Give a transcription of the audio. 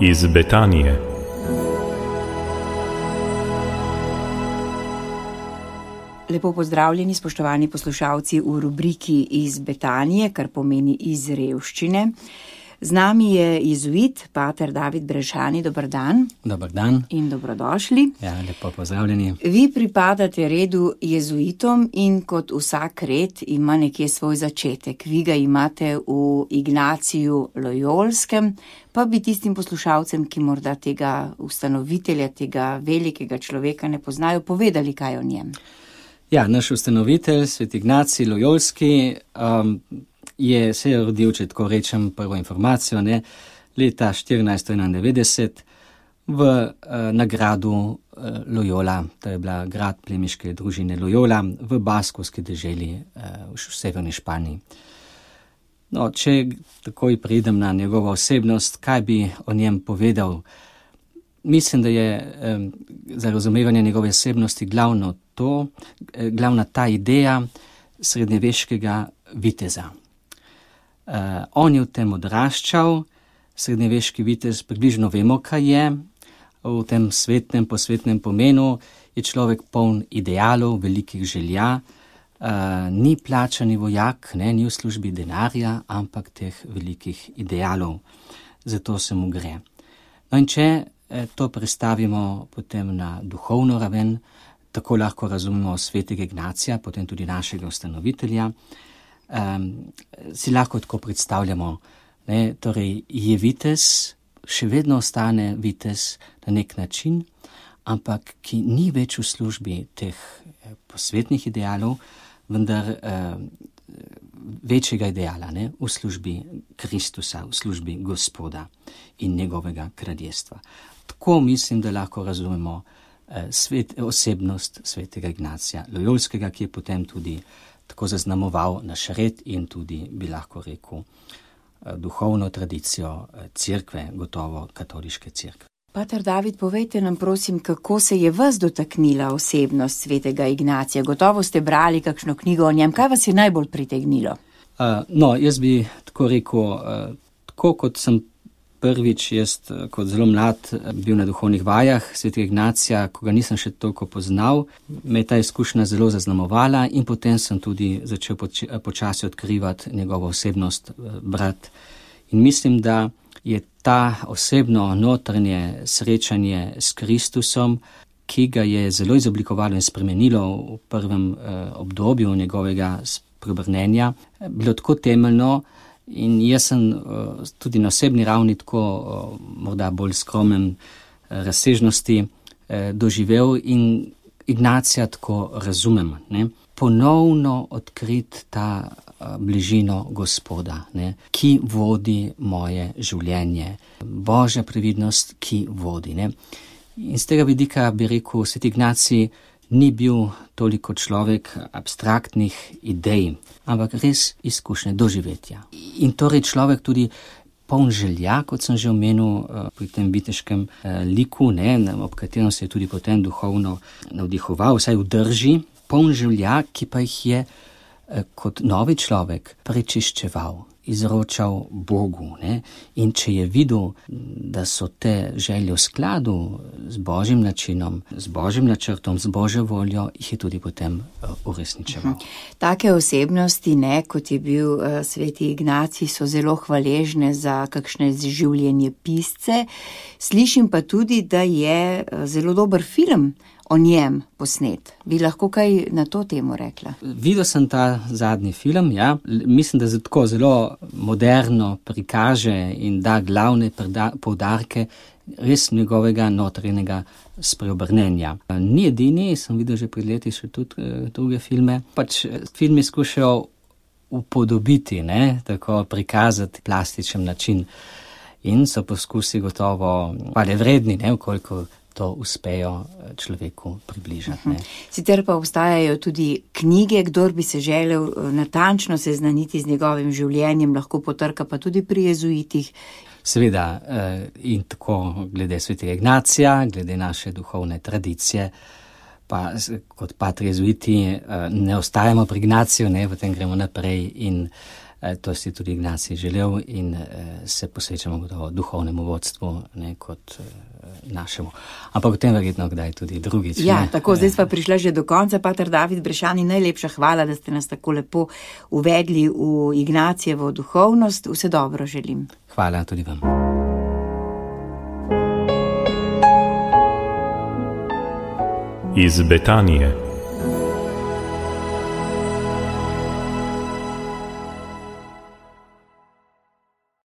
iz Betanije. Lepo pozdravljeni, spoštovani poslušalci v rubriki iz Betanije, kar pomeni iz revščine. Z nami je jezuit, pater David Brešani. Dober dan. Dober dan. In dobrodošli. Ja, lepo pozdravljeni. Vi pripadate redu jezuitom in kot vsak red ima nekje svoj začetek. Vi ga imate v Ignaciju Lojolskem, pa bi tistim poslušalcem, ki morda tega ustanovitelja, tega velikega človeka ne poznajo, povedali kaj o njem. Ja, naš ustanovitelj, sveti Ignacij Lojolski, se je rodil, če tako rečem, prvo informacijo, leta 1491 na gradu Loyola, to je bila grad plemiške družine Loyola v baskovski deželi v severni Španiji. No, če takoj pridem na njegovo osebnost, kaj bi o njem povedal? Mislim, da je za razumevanje njegove osebnosti glavna ta ideja srednjeveškega viteza. On je v tem odraščal, srednjeveški vitez, približno vemo, kaj je, v tem posvetnem pomenu je človek poln idealov, velikih želja, ni plačani vojak, ni v službi denarja, ampak teh velikih idealov, zato se mu gre. No in če to prestavimo potem na duhovno raven, tako lahko razumemo svetega Ignacija, potem tudi našega ustanovitelja, si lahko tako predstavljamo, torej je vitez, še vedno ostane vitez na nek način, ampak ki ni več v službi teh posvetnih idealov, vendar večjega ideala, v službi Kristusa, v službi Gospoda in njegovega kraljestva. Tako mislim, da lahko razumemo osebnost svetega Ignacija Lojolskega, ki je potem tudi tako zaznamoval naš red in tudi, bi lahko rekel, duhovno tradicijo cerkve, gotovo katoliške cerkve. Pater David, povejte nam prosim, kako se je vas dotaknila osebnost svetega Ignacija. Gotovo ste brali kakšno knjigo o njem. Kaj vas je najbolj pritegnilo? Jaz bi tako rekel, tako kot sem prvič, jaz kot zelo mlad bil na duhovnih vajah svetega Ignacija, ko ga nisem še toliko poznal, me je ta izkušnja zelo zaznamovala in potem sem tudi začel počasi odkrivati njegovo osebnost, brat. In mislim, da je ta osebno notranje srečanje s Kristusom, ki ga je zelo izoblikovalo in spremenilo v prvem obdobju njegovega spreobrnenja, bilo tako temeljno. In jaz sem tudi na osebni ravni tako morda bolj skromen razsežnosti doživel in Ignacija tako razumem. Ponovno odkrit ta bližino Gospoda, ki vodi moje življenje. Božja previdnost, ki vodi. In z tega vidika bi rekel, sveti Ignacij ni bil toliko človek abstraktnih idej, ampak res izkušnje doživetja. In torej človek tudi poln želja, kot sem že omenil pri tem viteškem liku, ob katerem se je tudi potem duhovno navdihoval, vsaj v drži, poln želja, ki pa jih je kot novi človek prečiščeval, izročal Bogu. In če je videl, da so te želje v skladu z Božjim načinom, z Božjim načrtom, z Božjo voljo, jih je tudi potem uresničeval. Take osebnosti, kot je bil sveti Ignacij, so zelo hvaležne za kakšne življenje pisce. Slišim pa tudi, da je zelo dober film o njem posnet. Bi lahko kaj na to temo rekla? Videl sem ta zadnji film, ja. Mislim, da tako zelo moderno prikaže in da glavne poudarke res njegovega notranjega spreobrnenja. Ni edini, sem videl že pred leti še tudi druge filme. Film je skušal upodobiti, tako prikazati plastičen način in so poskusi gotovo hvalevredni, koliko to uspejo človeku približati. Sicer pa obstajajo tudi knjige, kdor bi se želel natančno seznaniti z njegovim življenjem, lahko potrka pa tudi pri jezuitih. Seveda, in tako glede svetega Ignacija, glede naše duhovne tradicije, pa kot patri jezuiti ne ostajamo pri Ignaciju, potem gremo naprej in To si tudi Ignacij želel in se posvečamo gotovo duhovnemu vodstvu, ne, kot našemu. Ampak o tem verjetno kdaj tudi drugič. Ja, tako, zdaj sva prišla že do konca. Pater David Brešani, najlepša hvala, da ste nas tako lepo uvedli v Ignacijevo duhovnost. Vse dobro želim. Hvala tudi vam. Iz Betanije.